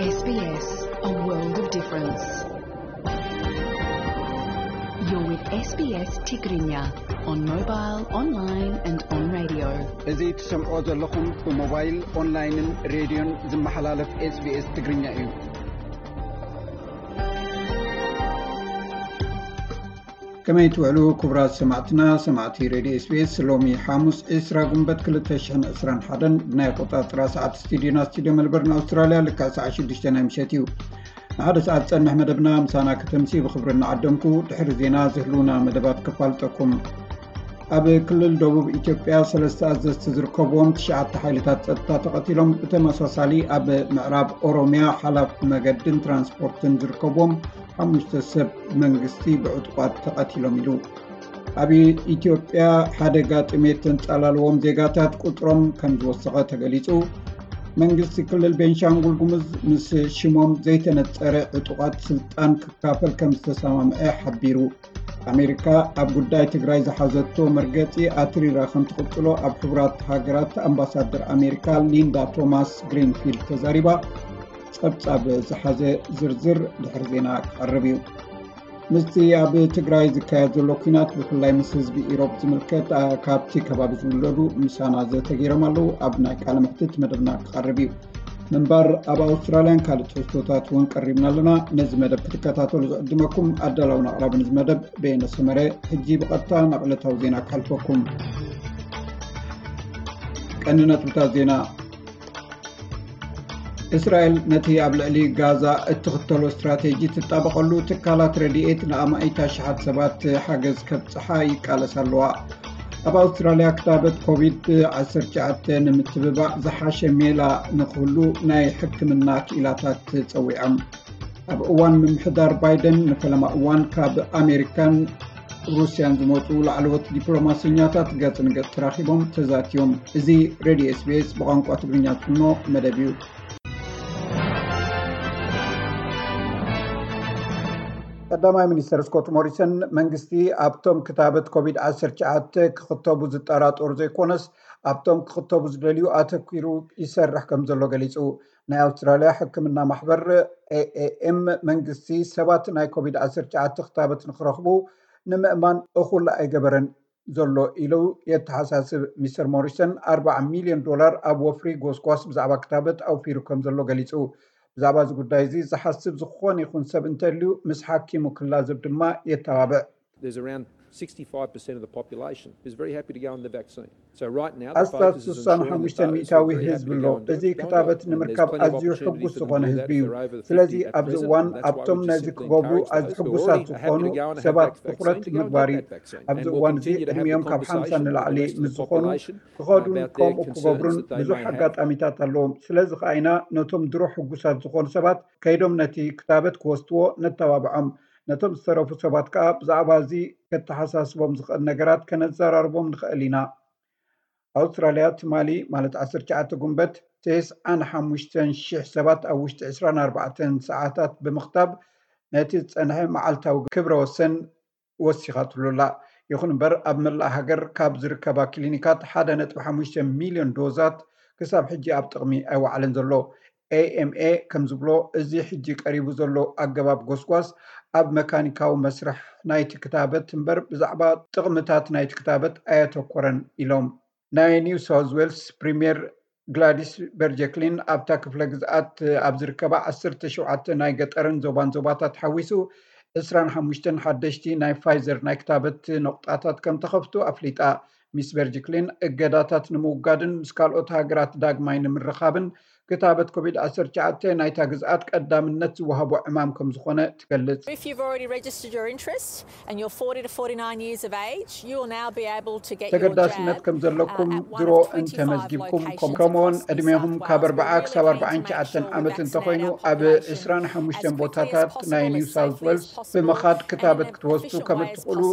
S B S, a world of difference. You're with S B S Tigrinya on mobile, online and on radio. እዚ ትሰምዖ ዘለኹም ብሞባይል፣ ኦንላይንን ሬድዮን ዝመሓላለፍ S B S ትግርኛ እዩ። ከመይ ትውዕሉ ክቡራት ሰማዕትና፣ ሰማዕቲ ሬድዮ S B S? ሎሚ ሓሙስ ዕስራ ጉንበት ክልተ ሽሕን ዕስራን ሓደን ብናይ ኣቆጻጽራ ሰዓት ስቱዲዮና፣ ስቱዲዮ መልበርን ኣውስትራልያ፣ ልክዕ ሰዓት ሽዱሽተ ናይ ምሸት እዩ። ንሓደ ሰዓት ዝጸንሕ መደብና ምሳና ከተምሲ ብኽብሪ እናዓደምኩ፣ ድሕሪ ዜና ዝህልውና መደባት ከፋልጠኩም። ኣብ ክልል ደቡብ ኢትዮጵያ ሰለስተ ኣዘዝቲ ዝርከብዎም ትሽዓተ ሓይልታት ጸጥታ ተቐቲሎም። ብተመሳሳሊ ኣብ ምዕራብ ኦሮሚያ ሓላፍ መገድን ትራንስፖርትን ዝርከብዎም ሓሙሽተ ሰብ መንግስቲ ብዕጡቓት ተቐቲሎም ኢሉ። ኣብ ኢትዮጵያ ሓደጋ ጥሜት ተንጻላለዎም ዜጋታት ቁጽሮም ከም ዝወሰኸ ተገሊጹ። መንግስቲ ክልል ቤንሻንጉል ጉሙዝ ምስ ሽሞም ዘይተነጸረ ዕጡቓት ስልጣን ክካፈል ከም ዝተሰማምዐ ሓቢሩ። ኣሜሪካ ኣብ ጉዳይ ትግራይ ዝሓዘቶ መርገጺ ኣትሪራ ከም ትቕጽሎ ኣብ ሕቡራት ሃገራት ኣምባሳደር ኣሜሪካ ሊንዳ ቶማስ ግሪንፊልድ ተዛሪባ። ጸብጻብ ዝሓዘ ዝርዝር ድሕሪ ዜና ክቐርብ እዩ። ምስቲ ኣብ ትግራይ ዝካየድ ዘሎ ኲናት፣ ብፍላይ ምስ ህዝቢ ኢሮብ ዝምልከት፣ ኣ፣ ካብቲ ከባቢ ዝውለዱ ምሳና ዘተገይሮም ኣለዉ። ኣብ ናይ ቃለ መሕትት መደብና ክቐርብ እዩ። ምንባር ኣብ ኣውስትራልያን ካልእ ትሕዝቶታት እውን ቀሪብና ኣለና። ነዚ መደብ ክትከታተሉ ዝዕድመኩም ኣዳላውን ኣቕራብን እዚ መደብ በየነ ሰመረ። ሕጂ ብቐጥታ ናብ ዕለታዊ ዜና ክሓልፈኩም። ቀንዲ ነጥብታት ዜና። እስራኤል ነቲ ኣብ ልዕሊ ጋዛ እትኽተሎ ስትራቴጂ ትጣበቐሉ ትካላት ረድኤት ንኣማኢት ኣሽሓት ሰባት ሓገዝ ከብጽሓ ይቃለሳ ኣለዋ። ኣብ ኣውስትራልያ ክታበት ኮቪድ ዓሰርተ ትሽዓተ ንምትብባዕ ዝሓሸ ሜላ ንክህሉ ናይ ሕክምና ክኢላታት ጸዊዖም። ኣብ እዋን ምምሕዳር ባይደን ንፈለማ እዋን ካብ ኣሜሪካን ሩስያን ዝመጹ ላዕለዎት ዲፕሎማሰኛታት ገጽ ንገጽ ተራኺቦም ተዛትዮም። እዚ ሬድዮ S B S ብቋንቋ ትግርኛ ዝፍኖ መደብ እዩ። ቀዳማይ ሚኒስተር ስኮት ሞሪሰን መንግስቲ ኣብቶም ክታበት ኮቪድ ዓሰርተ ትሽዓተ ክኽተቡ ዝጠራጠሩ ዘይኮነስ ኣብቶም ክኽተቡ ዝደልዩ ኣተኲሩ ይሰርሕ ከም ዘሎ ገሊጹ። ናይ ኣውስትራልያ ሕክምና ማሕበር A A M መንግስቲ ሰባት ናይ ኮቪድ ዓሰርተ ትሽዓተ ክታበት ንክረኽቡ ንምእማን እኹል ኣይገበረን ዘሎ ኢሉ የተሓሳስብ። ሚስተር ሞሪሰን ኣርባዓ ሚልዮን ዶላር ኣብ ወፍሪ ጎስጓስ ብዛዕባ ክታበት ኣውፊሩ ከም ዘሎ ገሊጹ። ብዛዕባ እዚ ጉዳይ እዚ ዝሓስብ ዝኾነ ይኹን ሰብ እንተልዩ ምስ ሓኪሙ ክላዘብ ድማ የተባብዕ። There's around sixty-five percent of the population who's very happy to go on the vaccine. So right now, the ኣስታት focus is ስሳን ሓሙሽተ ሚእታዊ ህዝቢ ኣሎ። እዚ ክታበት ንምርካብ ኣዝዩ ሕጉስ ዝኾነ ህዝቢ እዩ። ስለዚ ኣብዚ እዋን ኣብቶም ነዚ ክገብሩ ኣዝዩ ሕጉሳት ዝኾኑ ሰባት ትኹረት ምግባር እዩ። ኣብዚ እዋን እዚ ዕድሚኦም ካብ ሓምሳ ንላዕሊ ምስ ዝኾኑ ክኸዱን ከምኡ ክገብሩን ብዙሕ ኣጋጣሚታት ኣለዎም። ስለዚ ከኣ ኢና ነቶም ድሮ ሕጉሳት ዝኾኑ ሰባት ከይዶም ነቲ ክታበት ክወስድዎ ነተባብዖም። ነቶም ዝተረፉ ሰባት ከኣ ብዛዕባ እዚ ከተሓሳስቦም ዝኽእል ነገራት ከነዘራርቦም ንኽእል ኢና። ኣውስትራልያ ትማሊ ማለት ዓሰርተ ትሽዓተ ጉንበት ተስዓን ሓሙሽተን ሽሕ ሰባት ኣብ ውሽጢ ዕስራን ኣርባዕተን ሰዓታት ብምኽታብ ነቲ ዝጸንሐ መዓልታዊ ክብረ ወሰን ወሲኻትሉ ኣላ። ይኹን እምበር ኣብ መላእ ሃገር ካብ ዝርከባ ክሊኒካት ሓደ ነጥቢ ሓሙሽተ ሚልዮን ዶዛት ክሳብ ሕጂ ኣብ ጥቕሚ ኣይወዓለን ዘሎ። A M A ከም ዝብሎ፣ እዚ ሕጂ ቀሪቡ ዘሎ ኣገባብ ጎስጓስ ኣብ መካኒካዊ መስርሕ ናይቲ ክታበት እምበር ብዛዕባ ጥቕምታት ናይቲ ክታበት ኣየተኮረን ኢሎም። ናይ ኒው ሳውዝ ዌልስ ፕሪምየር ግላዲስ በርጀክሊን ኣብታ ክፍለ ግዝኣት ኣብ ዝርከባ ዓሰርተ ሸውዓተ ናይ ገጠርን ዞባን ዞባታት ሓዊሱ ዕስራን ሓሙሽተን ሓደሽቲ ናይ ፋይዘር ናይ ክታበት ነቑጣታት ከም ተኸፍቱ ኣፍሊጣ። ሚስ በርጅክሊን እገዳታት ንምውጋድን ምስ ካልኦት ሃገራት ዳግማይ ንምርኻብን ክታበት ኮቪድ ዓሰርተ ትሽዓተ ናይታ ግዝኣት ቀዳምነት ዝወሃቦ ዕማም ከም ዝኾነ ትገልጽ። If you've already registered your interest and you're forty to forty-nine years of age, you will now be able to get your jab, ተገዳስነት ከም ዘለኩም uh, at one ድሮ of twenty-five እንተመዝጊብኩም፣ locations ከምኡውን across New ዕድሜኹም South ካብ Wales. ኣርባዓ ክሳብ ኣርባዓን ትሽዓተን ዓመት እንተኾይኑ፣ ኣብ ዕስራን ሓሙሽተን ቦታታት ናይ ኒው ሳውዝ ዌልስ ብምኻድ ክታበት ክትወስዱ ከም እትኽእሉ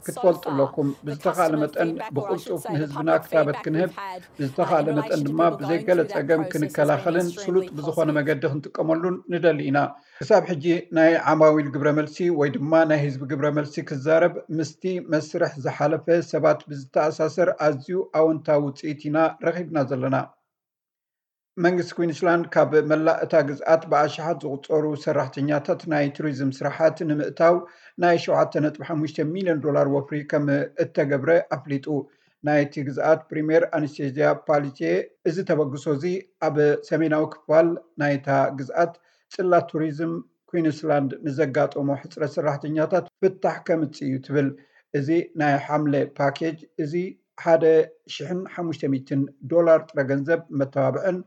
ክትፈልጡ ኣለኩም። ብዝተኻእለ መጠን ብቕልጡፍ ንህዝብና ክታበት ክንህብ፣ ብዝተኻእለ መጠን ድማ ብዘይገለ ጸገም ክንከላኸልን ስሉጥ ብዝኾነ መገዲ ክንጥቀመሉን ንደሊ ኢና። ክሳብ ሕጂ ናይ ዓማዊል ግብረ መልሲ ወይ ድማ ናይ ህዝቢ ግብረ መልሲ ክዛረብ ምስቲ መስርሕ ዝሓለፈ ሰባት ብዝተኣሳሰር ኣዝዩ ኣወንታዊ ውጽኢት ኢና ረኺብና ዘለና። መንግስቲ ኩዊንስላንድ ካብ መላእ እታ ግዝኣት ብኣሽሓት ዝቑጸሩ ሰራሕተኛታት ናይ ቱሪዝም ስራሓት ንምእታው ናይ ሸውዓተ ነጥቢ ሓሙሽተ ሚልዮን ዶላር ወፍሪ ከም እተገብረ ኣፍሊጡ። ናይቲ ግዝኣት ፕሪምየር ኣነስቴዝያ ፓሊቴ፣ እዚ ተበግሶ እዚ ኣብ ሰሜናዊ ክፋል ናይታ ግዝኣት ጽላት ቱሪዝም ኩዊንስላንድ ንዘጋጠሞ ሕጽረት ሰራሕተኛታት ፍታሕ ከምጽእ እዩ ትብል። እዚ ናይ ሓምለ ፓኬጅ እዚ ሓደ ሽሕን ሓሙሽተ ሚእትን ዶላር ጥረ ገንዘብ መተባብዕን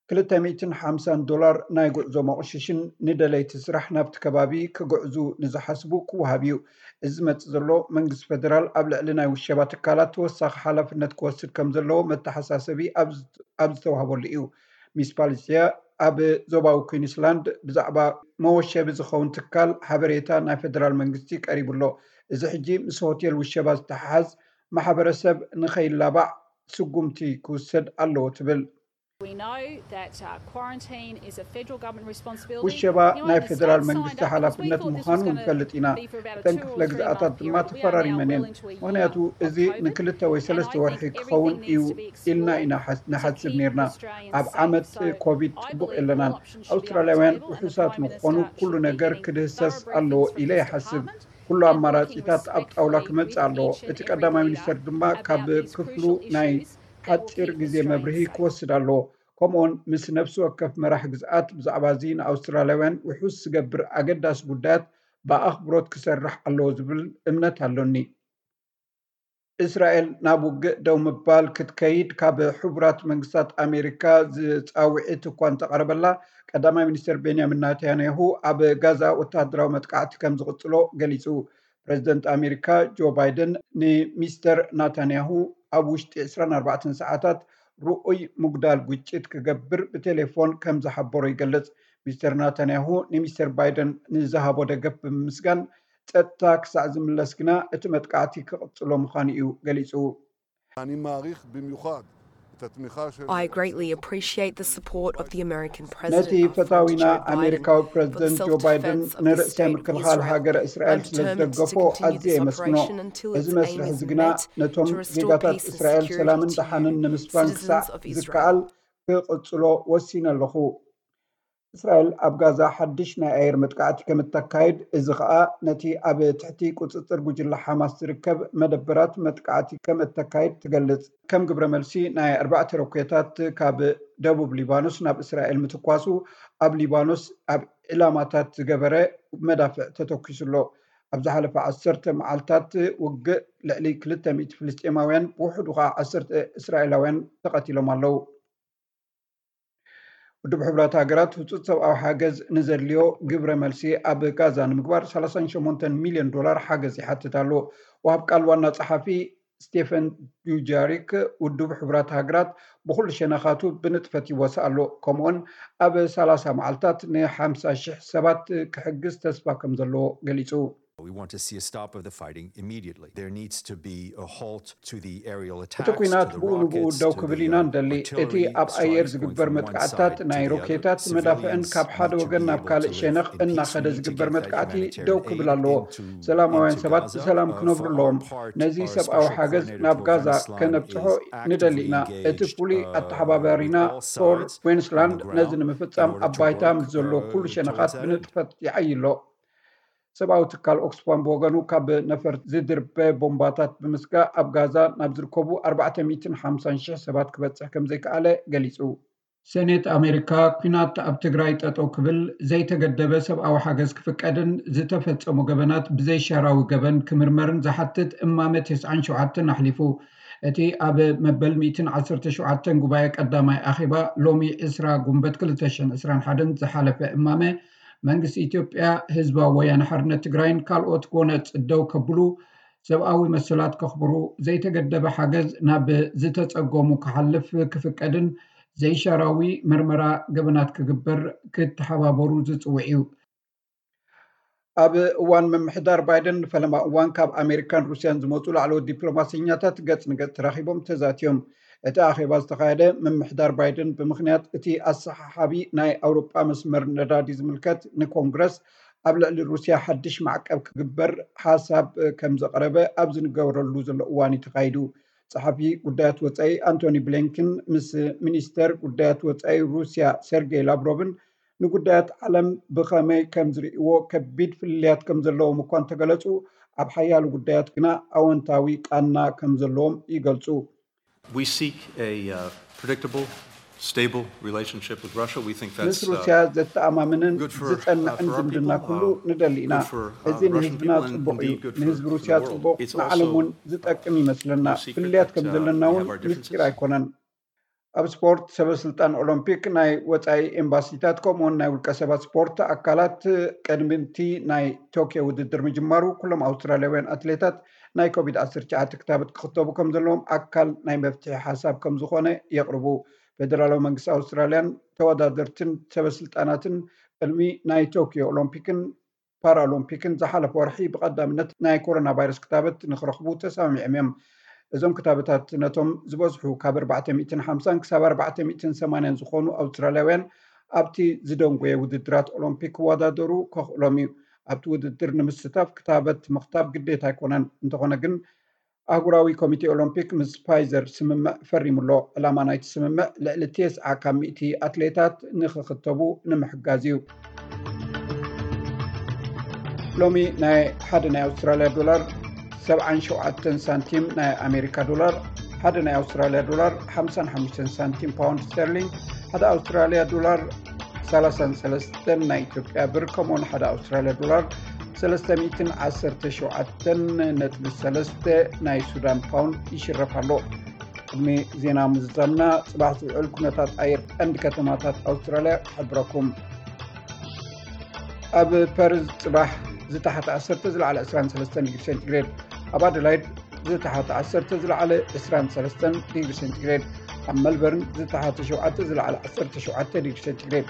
ክልተ ሚእትን ሓምሳን ዶላር ናይ ጉዕዞ መቑሽሽን ንደለይቲ ስራሕ ናብቲ ከባቢ ክግዕዙ ንዝሓስቡ ክወሃብ እዩ። እዚ ዝመጽእ ዘሎ መንግስቲ ፌደራል ኣብ ልዕሊ ናይ ውሸባ ትካላት ተወሳኺ ሓላፍነት ክወስድ ከም ዘለዎ መተሓሳሰቢ ኣብ ዝ- ኣብ ዝተዋህበሉ እዩ። ሚስ ፓሊሲያ ኣብ ዞባዊ ኩዊንስላንድ ብዛዕባ መወሸቢ ዝኸውን ትካል ሓበሬታ ናይ ፌደራል መንግስቲ ቀሪቡ ኣሎ። እዚ ሕጂ ምስ ሆቴል ውሸባ ዝተሓሓዝ ማሕበረሰብ ንኸይላባዕ ስጉምቲ ክውሰድ ኣለዎ ትብል። We know that uh, quarantine is a federal government responsibility. ውሸባ ናይ ፌደራል መንግስቲ ሓላፍነት ምዃኑ ንፈልጥ ኢና። እተን ክፍለ ግዝኣታት ድማ ተፈራሪመን እየን። ምክንያቱ እዚ ንክልተ ወይ ሰለስተ ወርሒ ክኸውን እዩ ኢልና ኢና ንሓስብ ነርና። ኣብ ዓመት ኮቪድ ጽቡቕ የለናን። ኣውስትራልያውያን ውሑሳት ንክኾኑ ኩሉ ነገር ክድህሰስ ኣለዎ ኢለ ይሓስብ። ኩሉ ኣማራጺታት ኣብ ጣውላ ክመጽእ ኣለዎ። እቲ ቀዳማይ ሚኒስተር ድማ ካብ ክፍሉ ናይ ሓጺር ግዜ መብርሂ ክወስድ ኣለዎ። ከምኡውን ምስ ነፍሲ ወከፍ መራሕ ግዝኣት ብዛዕባ እዚ ንኣውስትራልያውያን ውሑስ ዝገብር ኣገዳሲ ጉዳያት ብኣኽብሮት ክሰርሕ ኣለዎ ዝብል እምነት ኣሎኒ። እስራኤል ናብ ውግእ ደው ምባል ክትከይድ ካብ ሕቡራት መንግስታት ኣሜሪካ ዝጻውዒት እኳ እንተቐረበላ፣ ቀዳማይ ሚኒስትር ቤንያሚን ናታንያሁ ኣብ ጋዛ ወተሃደራዊ መጥቃዕቲ ከም ዝቕጽሎ ገሊጹ። ፕረዚደንት ኣሜሪካ ጆ ባይደን ንሚስተር ናታንያሁ ኣብ ውሽጢ ዕስራን ኣርባዕተን ሰዓታት ርኡይ ምጉዳል ግጭት ክገብር ብቴሌፎን ከም ዝሓበሮ ይገልጽ። ሚስተር ናታንያሁ ንሚስተር ባይደን ንዝሃቦ ደገፍ ብምምስጋን፣ ጸጥታ ክሳዕ ዝምለስ ግና እቲ መጥቃዕቲ ክቕጽሎ ምዃኑ እዩ ገሊጹ። אני מעריך במיוחד את התמיכה של I greatly appreciate the support of the American ነቲ President, our friend ፈታዊና Joe Biden, ኣሜሪካዊ for the ፕረዚደንት ጆ ባይደን self-defense of the ንርእሰ state of ምክልኻል Israel. ሃገረ እስራኤል I'm ስለ determined to ዝደገፎ continue ኣዝየ this የመስግኖ። operation until እዚ its aim መስርሕ is እዚ ግና met ነቶም to restore ዜጋታት peace and እስራኤል security ሰላምን to ደሓንን you, ንምስፋን ክሳዕ citizens of Israel. ዝከኣል ክቕጽሎ ወሲነ ኣለኹ። እስራኤል ኣብ ጋዛ ሓድሽ ናይ ኣየር መጥቃዕቲ ከም እተካይድ፣ እዚ ኸኣ ነቲ ኣብ ትሕቲ ቁጽጽር ጉጅለ ሓማስ ዝርከብ መደበራት መጥቃዕቲ ከም እተካይድ ትገልጽ። ከም ግብረ መልሲ ናይ ኣርባዕተ ሮኬታት ካብ ደቡብ ሊባኖስ ናብ እስራኤል ምትኳሱ፣ ኣብ ሊባኖስ ኣብ ዕላማታት ዝገበረ መዳፍዕ ተተኲሱ ኣሎ። ኣብ ዝሓለፈ ዓሰርተ መዓልታት ውግእ ልዕሊ ክልተ ሚእቲ ፍልስጤማውያን ብውሕዱ ኸኣ ዓሰርተ እስራኤላውያን ተቐቲሎም ኣለዉ። ውድብ ሕቡራት ሃገራት ህጹጽ ሰብኣዊ ሓገዝ ንዘድልዮ ግብረ መልሲ ኣብ ጋዛ ንምግባር ሰላሳን ሸሞንተን ሚልዮን ዶላር ሓገዝ ይሓትት ኣሎ። ወሃብ ቃል ዋና ጸሓፊ ስቴፈን ዱጃሪክ፣ ውድብ ሕቡራት ሃገራት ብኹሉ ሸነኻቱ ብንጥፈት ይወስእ ኣሎ፣ ከምኡውን ኣብ ሰላሳ መዓልታት ንሓምሳ ሽሕ ሰባት ክሕግዝ ተስፋ ከም ዘለዎ ገሊጹ። We want to see a stop of the fighting immediately. There needs to be a halt to the aerial attacks, እቲ ኲናት ብኡ ንብኡ ደው ክብል ኢና እንደሊ። እቲ ኣብ ኣየር ዝግበር መጥቃዕትታት፣ ናይ ሮኬታት መዳፍዕን ካብ ሓደ ወገን ናብ ካልእ ሸነኽ እናኸደ ዝግበር መጥቃዕቲ ደው ክብል ኣለዎ። ሰላማውያን ሰባት ብሰላም ክነብሩ ኣለዎም። ነዚ ሰብኣዊ ሓገዝ ናብ ጋዛ ከነብጽሖ ንደሊ ኢና። እቲ ፍሉይ ኣተሓባባሪና ቶር ኩዊንስላንድ ነዚ ንምፍጻም ኣብ ባይታ ምስ ዘሎ ኩሉ ሸነኻት ብንጥፈት ይዓዪ ኣሎ። ሰብኣዊ ትካል ኦክስፋም ብወገኑ፣ ካብ ነፈርቲ ዝድርበ ቦምባታት ብምስጋእ ኣብ ጋዛ ናብ ዝርከቡ ኣርባዕተ ሚእትን ሓምሳን ሽሕ ሰባት ክበጽሕ ከም ዘይከኣለ ገሊጹ። ሰኔት ኣሜሪካ ኲናት ኣብ ትግራይ ጠጠው ክብል፣ ዘይተገደበ ሰብኣዊ ሓገዝ ክፍቀድን ዝተፈጸሙ ገበናት ብዘይሻራዊ ገበን ክምርመርን ዝሓትት እማመ ተስዓን ሸውዓተን ኣሕሊፉ። እቲ ኣብ መበል ሚእትን ዓሰርተ ሸውዓተን ጉባኤ ቀዳማይ ኣኼባ ሎሚ ዕስራ ጉንበት ክልተ ሽሕን ዕስራን ሓደን ዝሓለፈ እማመ፣ መንግስቲ ኢትዮጵያ ህዝባዊ ወያነ ሓርነት ትግራይን ካልኦት ጎነጽ ደው ከብሉ፣ ሰብኣዊ መሰላት ከኽብሩ፣ ዘይተገደበ ሓገዝ ናብ ዝተጸገሙ ክሓልፍ ክፍቀድን ዘይሻራዊ መርመራ ገበናት ክግበር ክተሓባበሩ ዝጽውዕ እዩ። ኣብ እዋን ምምሕዳር ባይደን ንፈለማ እዋን ካብ ኣሜሪካን ሩስያን ዝመጹ ላዕለዎት ዲፕሎማሰኛታት ገጽ ንገጽ ተራኺቦም ተዛትዮም። እቲ ኣኼባ ዝተኻየደ ምምሕዳር ባይደን ብምኽንያት እቲ ኣሰሓሓቢ ናይ ኣውሮጳ መስመር ነዳዲ ዝምልከት ንኮንግረስ ኣብ ልዕሊ ሩስያ ሓድሽ ማዕቀብ ክግበር ሓሳብ ከም ዘቕረበ ኣብ ዝንገረሉ ዘሎ እዋን እዩ ተኻይዱ። ጸሓፊ ጉዳያት ወጻኢ ኣንቶኒ ብሊንከን ምስ ሚኒስተር ጉዳያት ወጻኢ ሩስያ ሰርጌይ ላቭሮቭን ንጉዳያት ዓለም ብኸመይ ከም ዝርእይዎ ከቢድ ፍልልያት ከም ዘለዎም እኳ እንተገለጹ፣ ኣብ ሓያሎ ጉዳያት ግና ኣወንታዊ ቃና ከም ዘለዎም ይገልጹ። We seek a uh, predictable, stable relationship with Russia. We think ምስ that's uh, ሩስያ ዘተኣማምንን good for, uh, ዝጸንዕን for our ዝምድና people, ኩሉ uh, ንደሊ ኢና። good for, uh, እዚ ንህዝብና Russian people and ጽቡቕ እዩ። indeed good for, ንህዝቢ for the ሩስያ world. ጽቡቕ፣ It's ንዓለም also እውን ዝጠቅም ይመስለና። no secret ፍልልያት that, ከም uh, ዘለና we እውን have our ምስጢር differences. ኣይኮነን። ኣብ ስፖርት፣ ሰበ ስልጣን ኦሎምፒክ፣ ናይ ወጻኢ ኤምባሲታት ከምኡውን ናይ ውልቀ ሰባት ስፖርት ኣካላት ቀድሚ እቲ ናይ ቶኪዮ ውድድር ምጅማሩ ኩሎም ኣውስትራልያውያን ኣትሌታት ናይ ኮቪድ ዓሰርተ ትሽዓተ ክታበት ክኽተቡ ከም ዘለዎም ኣካል ናይ መፍትሒ ሓሳብ ከም ዝኾነ የቕርቡ። ፌደራላዊ መንግስቲ ኣውስትራልያን ተወዳደርትን ሰበ ስልጣናትን ቅድሚ ናይ ቶኪዮ ኦሎምፒክን ፓራኦሎምፒክን ዝሓለፈ ወርሒ ብቐዳምነት ናይ ኮሮና ቫይረስ ክታበት ንክረኽቡ ተሰማሚዖም እዮም። እዞም ክታበታት ነቶም ዝበዝሑ ካብ ኣርባዕተ ሚእትን ሓምሳን ክሳብ ኣርባዕተ ሚእትን ሰማንያን ዝኾኑ ኣውስትራልያውያን ኣብቲ ዝደንጎየ ውድድራት ኦሎምፒክ ክወዳደሩ ከኽእሎም እዩ። ኣብቲ ውድድር ንምስታፍ ክታበት ምኽታብ ግዴታ ኣይኮነን። እንተኾነ ግን ኣህጉራዊ ኮሚቴ ኦሎምፒክ ምስ ፋይዘር ስምምዕ ፈሪሙ ኣሎ። ዕላማ ናይቲ ስምምዕ ልዕሊ ተስዓ ካብ ሚእቲ ኣትሌታት ንኽኽተቡ ንምሕጋዝ እዩ። ሎሚ ናይ ሓደ ናይ ኣውስትራልያ ዶላር ሰብዓን ሸውዓተን ሳንቲም ናይ ኣሜሪካ ዶላር፣ ሓደ ናይ ኣውስትራልያ ዶላር ሓምሳን ሓሙሽተን ሳንቲም ፓውንድ ስተርሊንግ፣ ሓደ ኣውስትራልያ ዶላር ሰላሳን ሰለስተን ናይ ኢትዮጵያ ብር፣ ከምኡውን ሓደ ኣውስትራልያ ዶላር ሰለስተ ሚእትን ዓሰርተ ሸውዓተን ነጥቢ ሰለስተ ናይ ሱዳን ፓውንድ ይሽረፍ ኣሎ። ቅድሚ ዜና ምዝዛምና፣ ጽባሕ ዝውዕል ኩነታት ኣየር ቀንዲ ከተማታት ኣውስትራልያ ክሕብረኩም። ኣብ ፐርዝ ጽባሕ ዝተሓተ ዓሰርተ ዝለዓለ ዕስራን ሰለስተን ዲግሪ ሴንቲግሬድ፣ ኣብ ኣደላይድ ዝተሓተ ዓሰርተ ዝለዓለ ዕስራን ሰለስተን ዲግሪ ሴንቲግሬድ፣ ኣብ መልበርን ዝተሓተ ሸውዓተ ዝለዓለ ዓሰርተ ሸውዓተ ዲግሪ ሴንቲግሬድ፣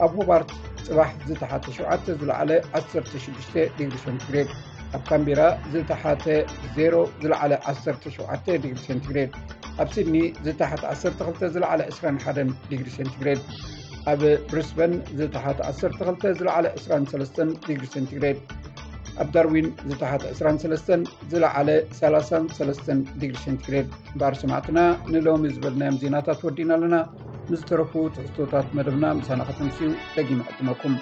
ኣብ ሆባርት ጽባሕ ዝተሓተ ሸውዓተ ዝለዓለ ዓሰርተ ሽዱሽተ ዲግሪ ሴንቲግሬድ፣ ኣብ ካምቤራ ዝተሓተ ዜሮ ዝለዓለ ዓሰርተ ሸውዓተ ዲግሪ ሴንቲግሬድ፣ ኣብ ሲድኒ ዝተሓተ ዓሰርተ ክልተ ዝለዓለ ዕስራን ሓደን ዲግሪ ሴንቲግሬድ፣ ኣብ ብሪስበን ዝተሓተ ዓሰርተ ክልተ ዝለዓለ ዕስራን ሰለስተን ዲግሪ ሴንቲግሬድ፣ ኣብ ዳርዊን ዝተሓተ ዕስራን ሰለስተን ዝለዓለ ሰላሳን ሰለስተን ዲግሪ ሴንቲግሬድ። እምበኣር ሰማዕትና፣ ንሎሚ ዝበልናዮም ዜናታት ወዲእና ኣለና። ንዝተረፉ ትሕዝቶታት መደብና ምሳና ከተምስዩ ደጊመ ዕድመኩም።